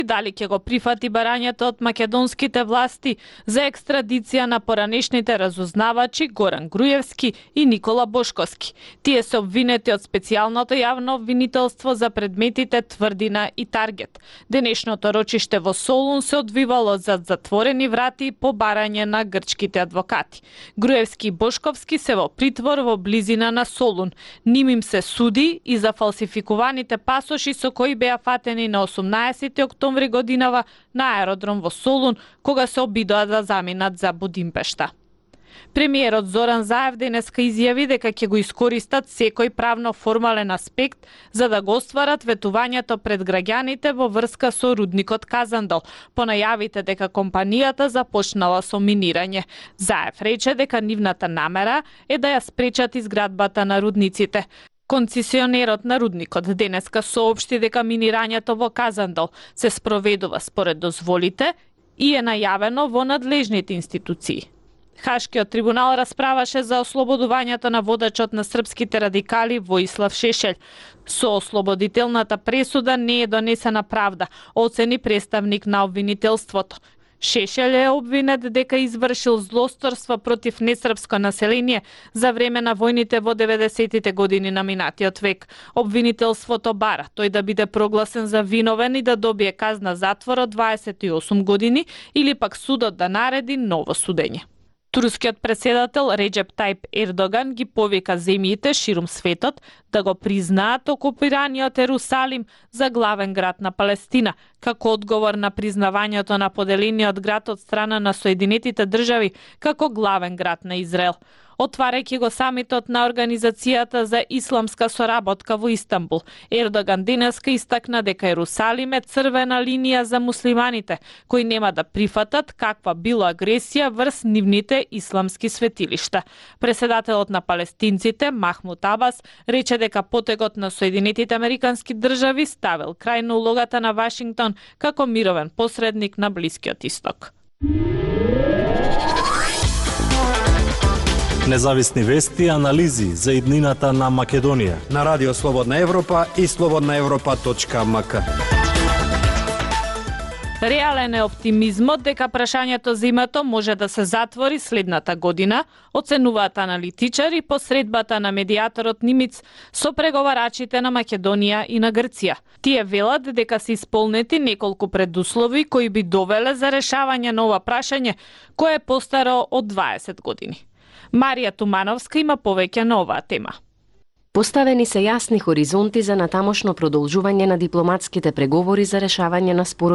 Дали ќе го прифати барањето од македонските власти за екстрадиција на поранешните разузнавачи Горан Груевски и Никола Бошковски. Тие се обвинети од специјалното јавно обвинителство за предметите Тврдина и Таргет. Денешното рочиште во Солун се одвивало зад затворени врати по барање на грчките адвокати. Груевски и Бошковски се во притвор во близина на Солун. Ним им се суди и за фалсификуваните пасоши со кои беа фатени на 18 октомври годинава на аеродром во Солун, кога се обидоа да заминат за Будимпешта. Премиерот Зоран Заев денеска изјави дека ќе го искористат секој правно формален аспект за да го остварат ветувањето пред граѓаните во врска со рудникот Казандол, по најавите дека компанијата започнала со минирање. Заев рече дека нивната намера е да ја спречат изградбата на рудниците. Концесионерот на рудникот денеска соопшти дека минирањето во Казандол се спроведува според дозволите и е најавено во надлежните институции. Хашкиот трибунал расправаше за ослободувањето на водачот на српските радикали Воислав Шешелј. Со ослободителната пресуда не е донесена правда, оцени представник на обвинителството. Шешелј е обвинет дека извршил злосторство против несрпско население за време на војните во 90-тите години на минатиот век. Обвинителството бара тој да биде прогласен за виновен и да добие казна затвор од 28 години или пак судот да нареди ново судење. Турскиот председател Реджеп Тајп Ердоган ги повика земјите ширум светот да го признаат окупираниот Ерусалим за главен град на Палестина, како одговор на признавањето на поделениот град од страна на Соединетите држави како главен град на Израел. Отварајќи го самитот на Организацијата за исламска соработка во Истанбул, Ердоган денеска истакна дека Ерусалим е црвена линија за муслиманите, кои нема да прифатат каква било агресија врз нивните исламски светилишта. Преседателот на палестинците Махмуд Абас рече дека потегот на Соединетите Американски држави ставил крај на улогата на Вашингтон како мировен посредник на Блискиот Исток. Независни вести и анализи за иднината на Македонија на Радио Слободна Европа и slobodnaevropa.mk. Реален е оптимизмот дека прашањето за името може да се затвори следната година, оценуваат аналитичари по средбата на медијаторот Нимиц со преговарачите на Македонија и на Грција. Тие велат дека се исполнети неколку предуслови кои би довеле за решавање на ова прашање, кое е постаро од 20 години. Марија Тумановска има повеќе на оваа тема. Поставени се јасни хоризонти за натамошно продолжување на дипломатските преговори за решавање на спорот